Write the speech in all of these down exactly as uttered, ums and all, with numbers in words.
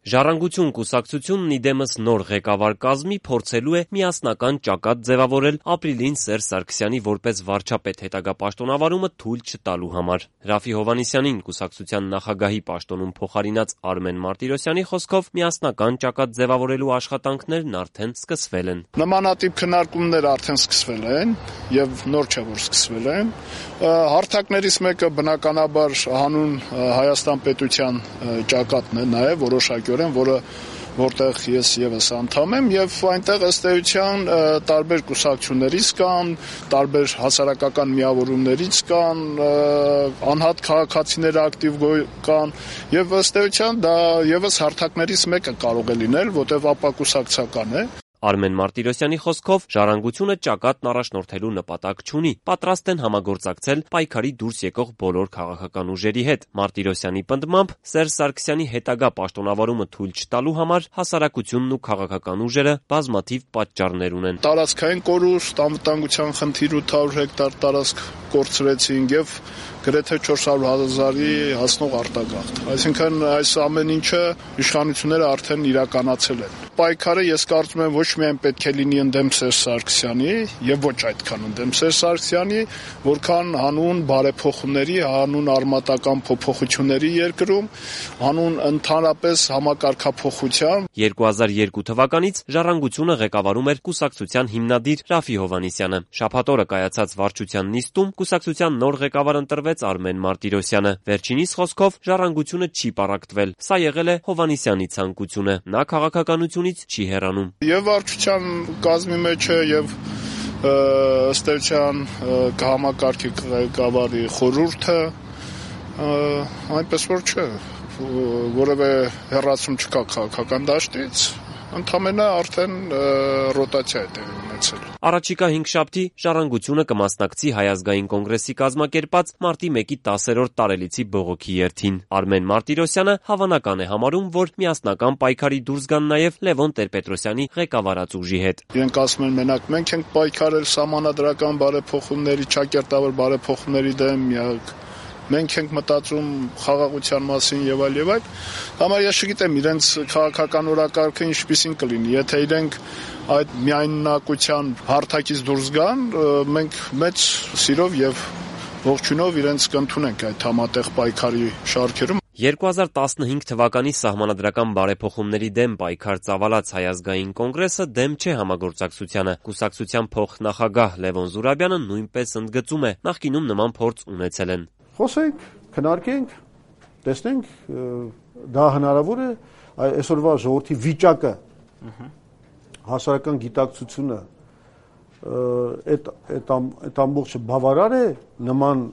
Ժառանգություն կուսակցությունն իդեմս նոր ղեկավար կազմի փորձելու է միասնական ճակատ ձևավորել ապրիլին Սերժ Սարգսյանի որպես վարչապետ հետագա պաշտոնավարումը թույլ չտալու համար։ Ռաֆֆի Հովհաննիսյանին կուսակցության նախագահի պաշտոնում փոխարինած Արմեն Մարտիրոսյանի խոսքով միասնական ճակատ ձևավորելու աշխատանքներն արդեն սկսվել են։ Նմանատիպ քննարկումներ արդեն սկսվել են եւ նոր չէ որ սկսվել են։ Հարթակներից մեկը բնականաբար հանուն Հայաստան պետության ճակատն է նաեւ որոշակիորեն, որը որտեղ ես եւս անդամ եմ եւ այնտեղ ըստ էության տարբեր կուսակցություններից կան, տարբեր հասարակական միավորումներից կան, անհատ քաղաքացիներ ակտիվ կան եւ ըստ էության դա եւս հարթակներից մեկը կարող է լինել, որտեղ ապակուսակցական է։ Արմեն Մարտիրոսյանի խոսքով Ժառանգությունը ճակատն առաջնորդելու նպատակ չունի, պատրաստ են համագործակցել պայքարի դուրս եկող բոլոր քաղաքական ուժերի հետ։ Մարտիրոսյանի պնդմամբ Սերժ Սարգսյանի հետագա պաշտոնավարումը թույլ չտալու համար հասարակությունն ու քաղաքական ուժերը բազմաթիվ պատճառներ ունեն։ Տարածքային կորուստ, անվտանգության խնդիր ութ հարյուր հեկտար տարածք կորցրեցին եւ գրեթե չորս հարյուր հազարի հասնող արտագաղթ։ Այսինքն այս ամեն ինչը իշխանությունները արդեն իրականացել են։ Պայքարը ես կարծում եմ ոչ միայն պետք է լինի ընդդեմ Սերժ Սարգսյանի եւ ոչ այդքան ընդդեմ Սերժ Սարգսյանի, որքան հանուն բարեփոխումների, հանուն արմատական փոփոխությունների երկրում, հանուն ընդհանրապես համակարգափոխության։ երկու հազար երկու թվականից Ժառանգությունը ղեկավարում էր կուսակցության հիմնադիր Ռաֆֆի Հովհաննիսյանը։ Շաբաթ օրը կայացած վարչության նիստում կուսակցության նոր ղեկավար ընտրվեց Արմեն Մարտիրոսյանը։ Վերջինիս խոսքով Ժառանգությունը չի պառակտվել։ Սա եղել է Հովհաննիսյանի ցանկությունը։ Նա քաղաքականությունից չի հեռանում։ Եվ վարչության կազմի մեջ է եւ ըստ էության կհամակարգի ղեկավարի խորհուրդը, այնպես որ չէ, որևէ հեռացում չկա քաղաքական դաշտից, ընդամենը արդեն ռոտացիա է տեղի ունեցել։ Առաջիկա հինգշաբթի Ժառանգությունը կմասնակցի Հայ ազգային կոնգրեսի կազմակերպած մարտի մեկի տասերորդ տարելիցի բողոքի երթին։ Արմեն Մարտիրոսյանը հավանական է համարում, որ միասնական պայքարի դուրս գան նաև Լևոն Տեր-Պետրոսյանի ղեկավարած ուժի հետ։ Իրենք ասում են մենակ մենք ենք պայքարել սահմանադրական բարեփոխումների, ճակերտավոր բարեփոխումների դեմ, միակ մենք ենք մտածում խաղաղության մասին եւ այլ եւ այլ։ Համար ես չգիտեմ իրենց քաղաքական օրակարգը ինչպիսին կլինի, եթե իրենք այդ միայնակության հարթակից դուրս գան, մենք մեծ սիրով եւ ողջունով իրենց կընդունենք այդ համատեղ պայքարի շարքերում։ երկու հազար տասնհինգ թվականի սահմանադրական բարեփոխումների դեմ պայքար ծավալած Հայ ազգային կոնգրեսը դեմ չէ համագործակցությանը։ Կուսակցության փոխնախագահ Լևոն Զուրաբյանը նույնպես ընդգծում է, նախկինում նման փորձ ունեցել են։ Խոսենք, քննարկենք, տեսնենք, դա հնարավոր է այսօրվա ժողովրդի վիճակը, հասարակական գիտակցությունը, այդ այդ ամբողջը բավարար է նման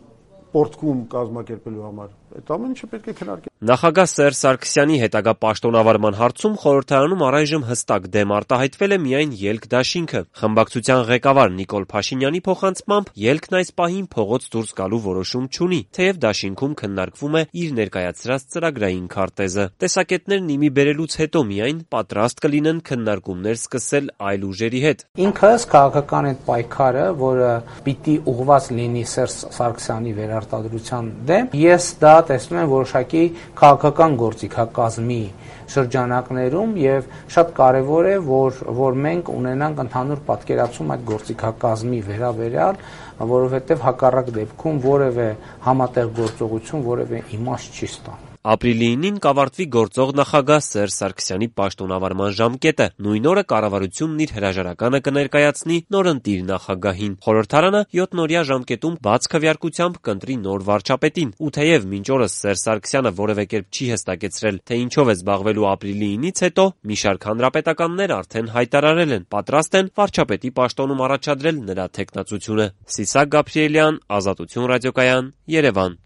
պորտկում կազմակերպելու համար։ Այդ ամեն ինչը պետք է քննարկել։ Նախագահ Սերժ Սարգսյանի հետագա պաշտոնավարման հարցում խորհրդարանում առայժմ հստակ դեմ արտահայտվել է միայն ելք դաշինքը։ Խմբակցության ղեկավար Նիկոլ Փաշինյանի փոխանցմամբ ելքն այս պահին փողոց դուրս գալու որոշում չունի, թեև դաշինքում քննարկվում է իր ներկայացրած ծրագրային քարտեզը։ Տեսակետներն իմի բերելուց հետո միայն պատրաստ կլինեն քննարկումներ սկսել այլ ուժերի հետ։ Ինքս քաղաքական այդ պայքարը, որը պիտի ուղղված լինի Սերժ Սարգսյանի վերարտադրության դեմ, ես դա տեսնում եմ որոշակի քաղաքական գործիքակազմի շրջանակներում եւ շատ կարեւոր է որ որ մենք ունենանք ընդհանուր պատկերացում այդ գործիքակազմի վերաբերյալ, որովհետեւ հակառակ դեպքում որևէ համատեղ գործողություն որևէ իմաստ չի ստանում։ Ապրիլի ինին կավարտվի գործող նախագահ Սերժ Սարգսյանի պաշտոնավարման ժամկետը։ Նույն օրը կառավարությունն իր հրաժարականը կներկայացնի նորընտիր նախագահին։ Խորհրդարանը յոթնօրյա ժամկետում բաց քվեարկությամբ կընտրի նոր վարչապետին։ Ու թեև մինչ օրս Սերժ Սարգսյանը որևէ կերպ չի հստակեցրել, թե ինչով է զբաղվելու ապրիլի ինից հետո, մի շարք հանրապետականներ արդեն հայտարարել են, պատրաստ են վարչապետի պաշտոնում առաջադրել նրա թեկնածությունը։ Սիսակ Գաբրիելյան, Ազատություն ռադիոկայան, Երևան։